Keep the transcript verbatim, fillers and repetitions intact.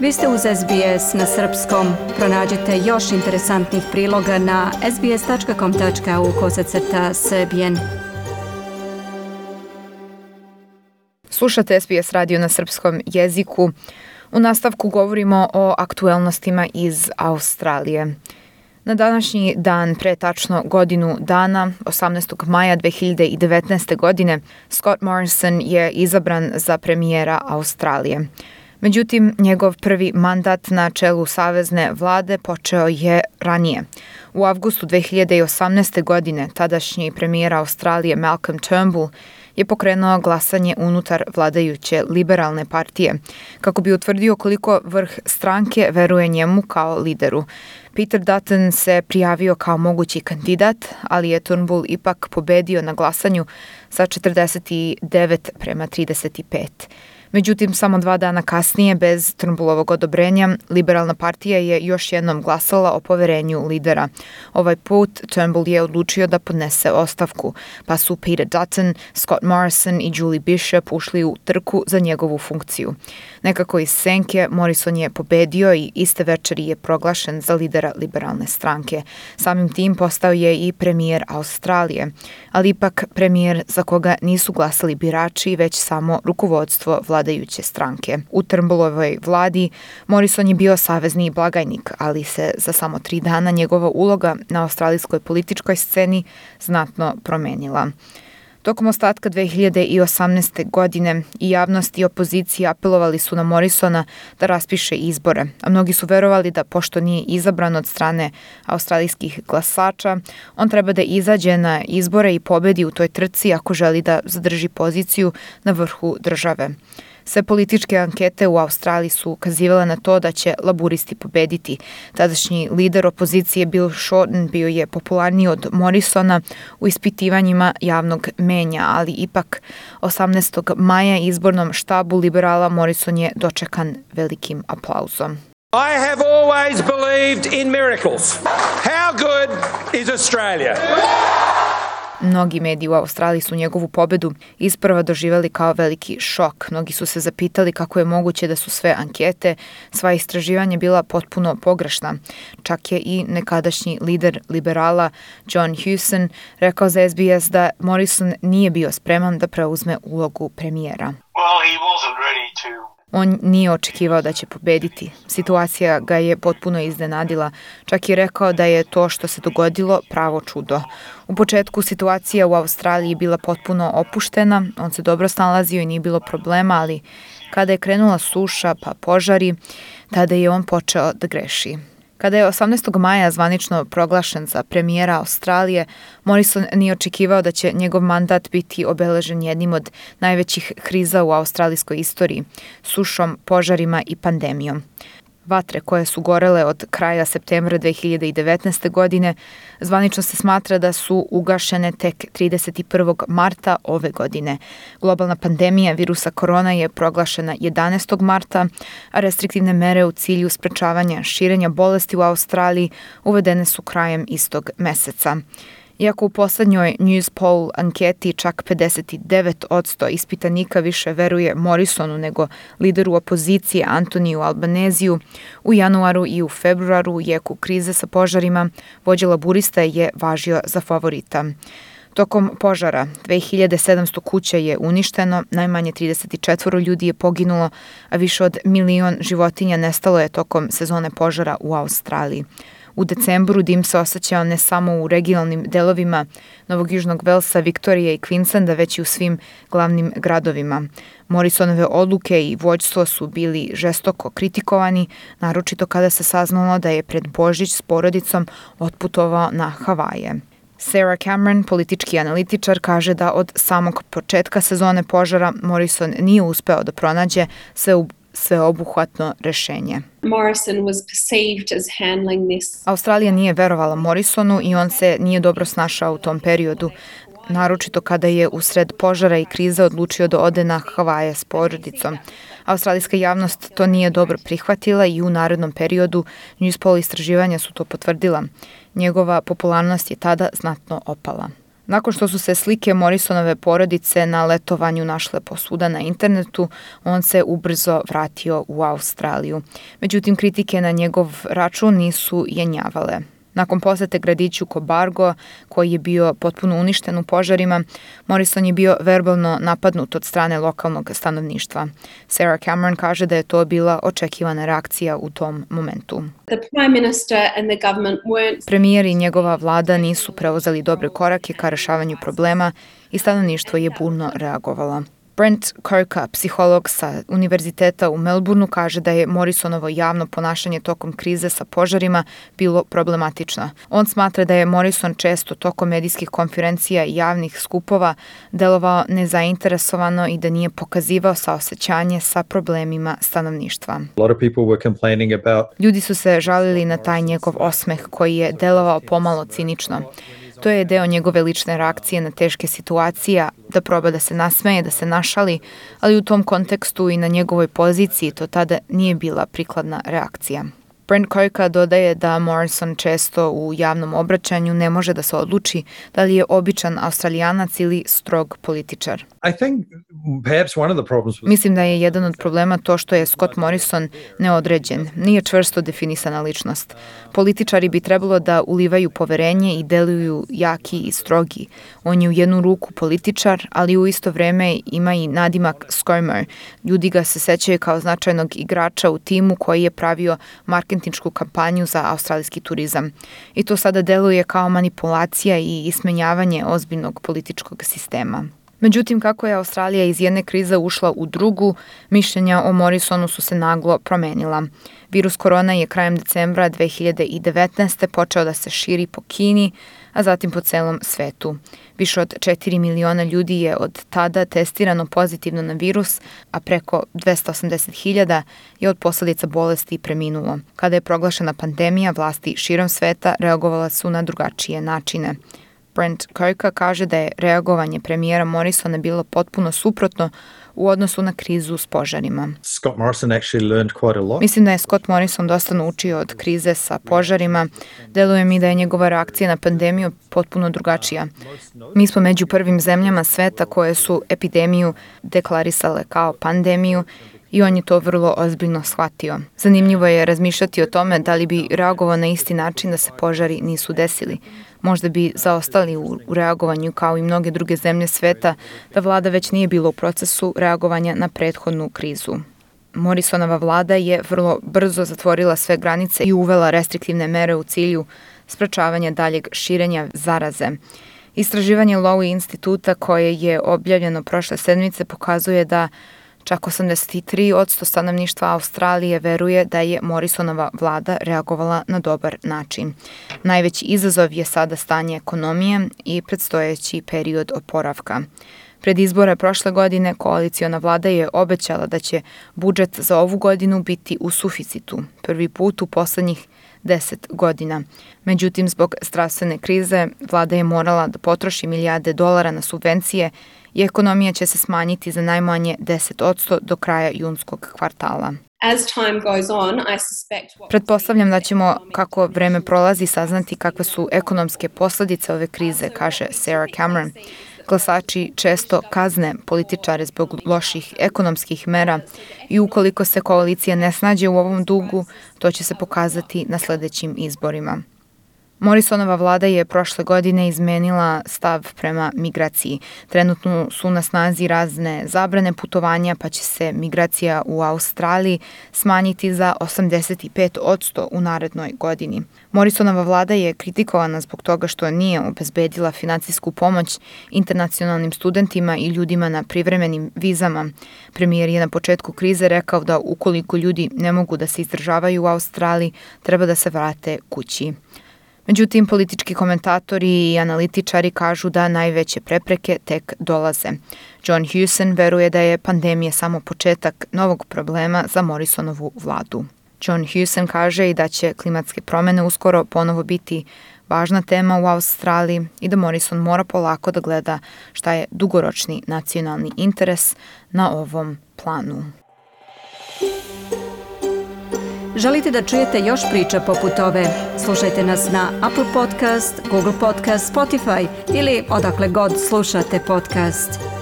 Vi ste uz S B S na srpskom. Pronađite još interesantnih priloga na sbs.com.au kosacrta srbijen. Slušate S B S radio na srpskom jeziku. U nastavku govorimo o aktuelnostima iz Australije. Na današnji dan, pre tačno godinu dana, osamnaestog maja dve hiljade devetnaeste. godine, Scott Morrison je izabran za premijera Australije. Međutim, njegov prvi mandat na čelu savezne vlade počeo je ranije. U avgustu dve hiljade osamnaeste. godine tadašnji premijer Australije Malcolm Turnbull je pokrenuo glasanje unutar vladajuće liberalne partije, kako bi utvrdio koliko vrh stranke veruje njemu kao lideru. Peter Dutton se prijavio kao mogući kandidat, ali je Turnbull ipak pobedio na glasanju sa četrdeset devet prema trideset pet. Međutim, samo dva dana kasnije, bez Turnbullovog odobrenja, liberalna partija je još jednom glasala o poverenju lidera. Ovaj put Turnbull je odlučio da podnese ostavku, pa su Peter Dutton, Scott Morrison i Julie Bishop ušli u trku za njegovu funkciju. Nekako iz senke Morrison je pobedio i iste večeri je proglašen za lidera liberalne stranke. Samim tim postao je i premijer Australije, ali ipak premijer za koga nisu glasali birači, već samo rukovodstvo vladajuće stranke. U Turnbullovoj vladi Morrison je bio savezni blagajnik, ali se za samo tri dana njegova uloga na australijskoj političkoj sceni znatno promenila. Tokom ostatka dve hiljade osamnaeste. godine i javnost i opozicija apelovali su na Morrisona da raspiše izbore, a mnogi su verovali da pošto nije izabran od strane australijskih glasača, on treba da izađe na izbore i pobedi u toj trci ako želi da zadrži poziciju na vrhu države. Sve političke ankete u Australiji su ukazivale na to da će laburisti pobediti. Tadašnji lider opozicije Bill Shorten bio je popularniji od Morrisona u ispitivanjima javnog menja, ali ipak osamnaestog maja izbornom štabu liberala Morrison je dočekan velikim aplauzom. I have always believed in miracles. How good is Australia? Mnogi mediji u Australiji su njegovu pobedu isprva doživjeli kao veliki šok. Mnogi su se zapitali kako je moguće da su sve ankete, sva istraživanja bila potpuno pogrešna. Čak je i nekadašnji lider liberala John Hewson rekao za S B S da Morrison nije bio spreman da preuzme ulogu premijera. Well, he wasn't ready to On nije očekivao da će pobediti. Situacija ga je potpuno iznenadila. Čak je rekao da je to što se dogodilo pravo čudo. U početku situacija u Australiji bila potpuno opuštena, on se dobro snalazio i nije bilo problema, ali kada je krenula suša pa požari, tada je on počeo da greši. Kada je osamnaestog maja zvanično proglašen za premijera Australije, Morrison nije očekivao da će njegov mandat biti obeležen jednim od najvećih kriza u australijskoj istoriji, sušom, požarima i pandemijom. Vatre koje su gorele od kraja septembra dve hiljade devetnaeste. godine zvanično se smatra da su ugašene tek trideset prvog marta ove godine. Globalna pandemija virusa korona je proglašena jedanaestog marta, a restriktivne mere u cilju sprečavanja širenja bolesti u Australiji uvedene su krajem istog meseca. Iako u poslednjoj Newspoll anketi čak pedeset devet posto ispitanika više veruje Morrisonu nego lideru opozicije Antoniju Albaneziju, u januaru i u februaru u jeku krize sa požarima vođa laburista je važio za favorita. Tokom požara dve hiljade sedamsto kuća je uništeno, najmanje trideset četiri ljudi je poginulo, a više od milion životinja nestalo je tokom sezone požara u Australiji. U decembru dim se osjećao ne samo u regionalnim delovima Novog Južnog Velsa, Viktorije i Queenslanda, već i u svim glavnim gradovima. Morrisonove odluke i vođstvo su bili žestoko kritikovani, naročito kada se saznalo da je pred Božić s porodicom otputovao na Havaje. Sarah Cameron, politički analitičar, kaže da od samog početka sezone požara Morrison nije uspeo da pronađe sve u sveobuhvatno rešenje. Morrison was perceived as handling this. Australija nije verovala Morrisonu i on se nije dobro snašao u tom periodu, naročito kada je usred požara i krize odlučio da ode na Havaje s porodicom. Australijska javnost to nije dobro prihvatila i u narednom periodu Newspoll istraživanja su to potvrdila. Njegova popularnost je tada znatno opala. Nakon što su se slike Morrisonove porodice na letovanju našle posvuda na internetu, on se ubrzo vratio u Australiju. Međutim, kritike na njegov račun nisu jenjavale. Nakon posete gradiću Cobargo, koji je bio potpuno uništen u požarima, Morrison je bio verbalno napadnut od strane lokalnog stanovništva. Sarah Cameron kaže da je to bila očekivana reakcija u tom momentu. The Prime Minister and the government weren't Premijer i njegova vlada nisu preuzeli dobre korake ka rešavanju problema i stanovništvo je burno reagovalo. Brent Kirka, psiholog sa univerziteta u Melbourneu, kaže da je Morrisonovo javno ponašanje tokom krize sa požarima bilo problematično. On smatra da je Morrison često tokom medijskih konferencija i javnih skupova delovao nezainteresovano i da nije pokazivao saosećanje sa problemima stanovništva. A lot of people were complaining about Ljudi su se žalili na taj njegov osmeh koji je delovao pomalo cinično. To je deo njegove lične reakcije na teške situacije, da proba da se nasmeje, da se našali, ali u tom kontekstu i na njegovoj poziciji to tada nije bila prikladna reakcija. Brent Kirka dodaje da Morrison često u javnom obraćanju ne može da se odluči da li je običan Australijanac ili strog političar. I think perhaps one of the problems was Mislim da je jedan od problema to što je Scott Morrison neodređen, nije čvrsto definisana ličnost. Političari bi trebalo da ulivaju poverenje i deluju jaki i strogi. On je u jednu ruku političar, ali u isto vreme ima i nadimak Skirmer. Ljudi ga se sećaju kao značajnog igrača u timu koji je pravio marketinšku kampanju za australijski turizam. I to sada deluje kao manipulacija i ismenjavanje ozbiljnog političkog sistema. Međutim, kako je Australija iz jedne krize ušla u drugu, mišljenja o Morrisonu su se naglo promenila. Virus korona je krajem decembra dve hiljade devetnaeste. počeo da se širi po Kini, a zatim po celom svetu. Više od četiri miliona ljudi je od tada testirano pozitivno na virus, a preko dvesta osamdeset hiljada je od posledica bolesti preminulo. Kada je proglašena pandemija, vlasti širom sveta reagovala su na drugačije načine. Brent Kirka kaže da je reagovanje premijera Morrisona bilo potpuno suprotno u odnosu na krizu s požarima. Scott Morrison actually learned quite a lot. Mislim da je Scott Morrison dosta naučio od krize sa požarima. Deluje mi da je njegova reakcija na pandemiju potpuno drugačija. Mi smo među prvim zemljama sveta koje su epidemiju deklarisale kao pandemiju i on je to vrlo ozbiljno shvatio. Zanimljivo je razmišljati o tome da li bi reagovao na isti način da se požari nisu desili. Možda bi zaostali u reagovanju kao i mnoge druge zemlje sveta da vlada već nije bila u procesu reagovanja na prethodnu krizu. Morrisonova vlada je vrlo brzo zatvorila sve granice i uvela restriktivne mere u cilju sprečavanja daljeg širenja zaraze. Istraživanje Lowy instituta koje je objavljeno prošle sedmice pokazuje da čak osamdeset tri posto stanovništva Australije veruje da je Morrisonova vlada reagovala na dobar način. Najveći izazov je sada stanje ekonomije i predstojeći period oporavka. Pred izbore prošle godine koaliciona vlada je obećala da će budžet za ovu godinu biti u suficitu, prvi put u poslednjih deset godina. Međutim, zbog zdravstvene krize, vlada je morala da potroši milijarde dolara na subvencije i ekonomija će se smanjiti za najmanje deset posto do kraja junskog kvartala. As time goes on, I suspect what Pretpostavljam da ćemo, kako vreme prolazi, saznati kakve su ekonomske posledice ove krize, kaže Sarah Cameron. Glasači često kazne političare zbog loših ekonomskih mera i ukoliko se koalicija ne snađe u ovom dugu, to će se pokazati na sledećim izborima. Morrisonova vlada je prošle godine izmenila stav prema migraciji. Trenutno su na snazi razne zabrane putovanja, pa će se migracija u Australiji smanjiti za osamdeset pet posto u narednoj godini. Morrisonova vlada je kritikovana zbog toga što nije obezbedila finansijsku pomoć internacionalnim studentima i ljudima na privremenim vizama. Premijer je na početku krize rekao da ukoliko ljudi ne mogu da se izdržavaju u Australiji, treba da se vrate kući. Međutim, politički komentatori i analitičari kažu da najveće prepreke tek dolaze. John Hewson veruje da je pandemija samo početak novog problema za Morrisonovu vladu. John Hewson kaže i da će klimatske promene uskoro ponovo biti važna tema u Australiji i da Morrison mora polako da gleda šta je dugoročni nacionalni interes na ovom planu. Želite da čujete još priča poput ove? Slušajte nas na Apple Podcast, Google Podcast, Spotify ili odakle god slušate podcast.